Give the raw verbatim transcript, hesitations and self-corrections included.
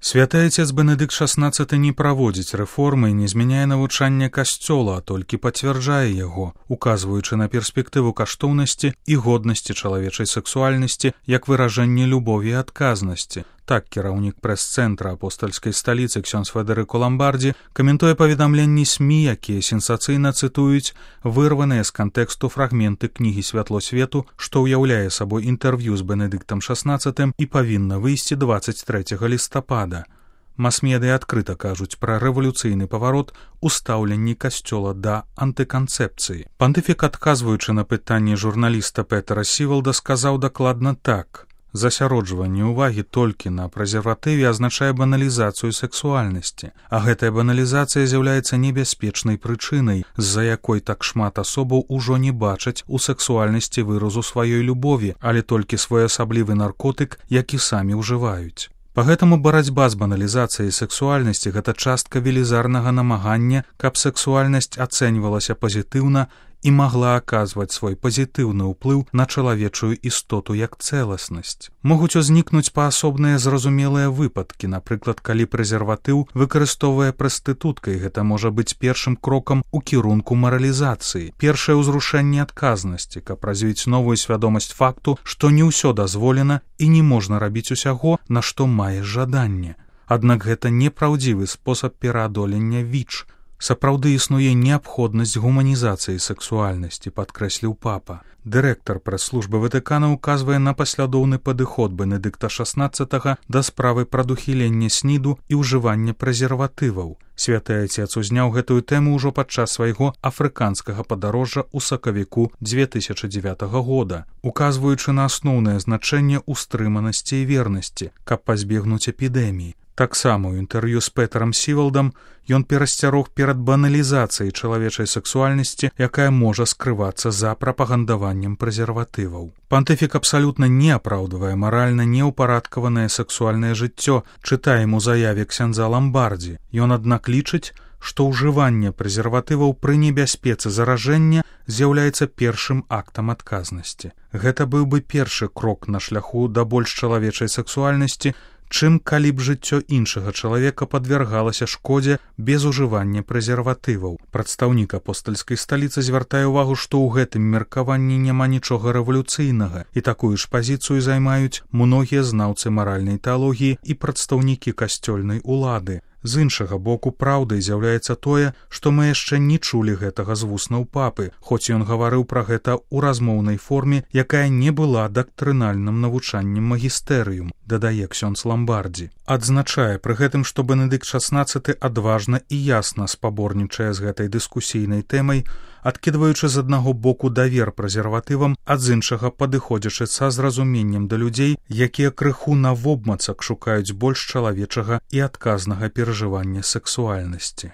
Святы Отец Бенедыкт шаснаццаты не праводзіць рэформы і не змяняе навучанне касцёла, а толькі пацвярджае яго, указваючы на перспектыву каштоўнасці і годнасці чалавечай сексуальнасці як выражэнне любові і адказнасці. Так кіраўнік прэс-цэнтра апостальскай сталіцы ксёндз Федэрыко Ламбардзі каментуе паведамленні СМІ, якія сенсацыйна цытуюць вырваныя з кантэксту фрагменты кнігі «Святло свету», што ўяўляе сабой інтэрв'ю з Бенедыктам шаснаццатым і павінна выйсці дваццаць трэцяга лістапада. Мас-медыа адкрыта кажуць пра рэвалюцыйны паварот у стаўленні касцёла да антыканцэпцыі. Пантыфік, адказваючы на пытанні журналіста Петера Сівалда, сказаў дакладна так. Засяроджванне ўвагі толькі на прэзерватыве азначае баналізацыю сексуальнасці, а гэтая баналізацыя з'яўляецца небяспечнай прычынай, з-за якой так шмат асобаў ужо не бачаць у сексуальнасці выразу сваёй любові, але толькі своеасаблівы наркотык, які самі ўжываюць. Пагэтаму барацьба з баналізацыяй сексуальнасці – гэта частка велізарнага намагання, каб сексуальнасць ацэньвалася пазітыўна і магла аказваць свой пазітыўны ўплыў на чалавечую істоту як цэласнасць. Могуць узнікнуць паасобныя зразумелыя выпадкі, напрыклад, калі прэзерватыў выкарыстоўвае прастытутка, і гэта можа быць першым крокам у кірунку маралізацыі, першае ўзрушэнне адказнасці, каб развіць новую свядомасць факту, што не ўсё дазволена і не можна рабіць усяго, на што маеш жаданне. Аднак гэта непраўдзівы спосаб пераадолення ВІЧ. Сапраўды існуе неабходнасць гуманізацыі сексуальнасці, падкрэсліў папа. Дырэктар прэс-службы Ватыкана указвае на паслядоўны падыход Бенедыкта шаснаццатага да справы прадухілення сніду і ўжывання прэзерватываў. Святы Отец узняў гэтую тэму ўжо падчас свайго афрыканскага падарожжа ў сакавіку дзве тысячы дзевятага года, указваючы на асноўнае значэнне устрыманасці і вернасці, каб пазбегнуць эпідэміі. Таксама ў інтэрв'ю з Петэрам Сівалдам ён перасцярог перад баналізацыяй чалавечай сексуальнасці, якая можа скрывацца за прапагандаваннем прэзерватываў. Пантыфік абсалютна не апраўдвае маральна неўпарадкаванае сексуальнае жыццё, чытаем у заяве ксяндза Ламбардзі. Ён, аднак, лічыць, што ўжыванне прэзерватываў пры небяспецы заражэння з'яўляецца першым актам адказнасці. Гэта быў бы першы крок на шляху да больш чалавечай сексуальнасці, чым калі б жыццё іншага чалавека падвяргалася шкодзе без ужывання прэзерватываў. Прадстаўнік апостальскай сталіцы звяртае ўвагу, што ў гэтым меркаванні няма нічога рэвалюцыйнага, і такую ж пазіцыю займаюць многія знаўцы маральнай тэалогіі і прадстаўнікі касцёльнай улады. З іншага боку, праўдай з'яўляецца тое, што мы яшчэ не чулі гэтага з вуснаў папы, хоць ён гаварыў пра гэта ў размоўнай форме, якая не была дактрынальным навучаннем магістэрыум, дадае ксёндз Ламбардзі. Адзначае пры гэтым, што Бенедыкт шаснаццаты адважна і ясна спаборнічае з гэтай дыскусійнай тэмай, адкідваючы з аднаго боку давер прэзерватывам, а з іншага падыходзячы са зразуменнем да людзей, якія крыху навобмацак шукаюць больш чалавечага і адказнага перажывання сексуальнасці.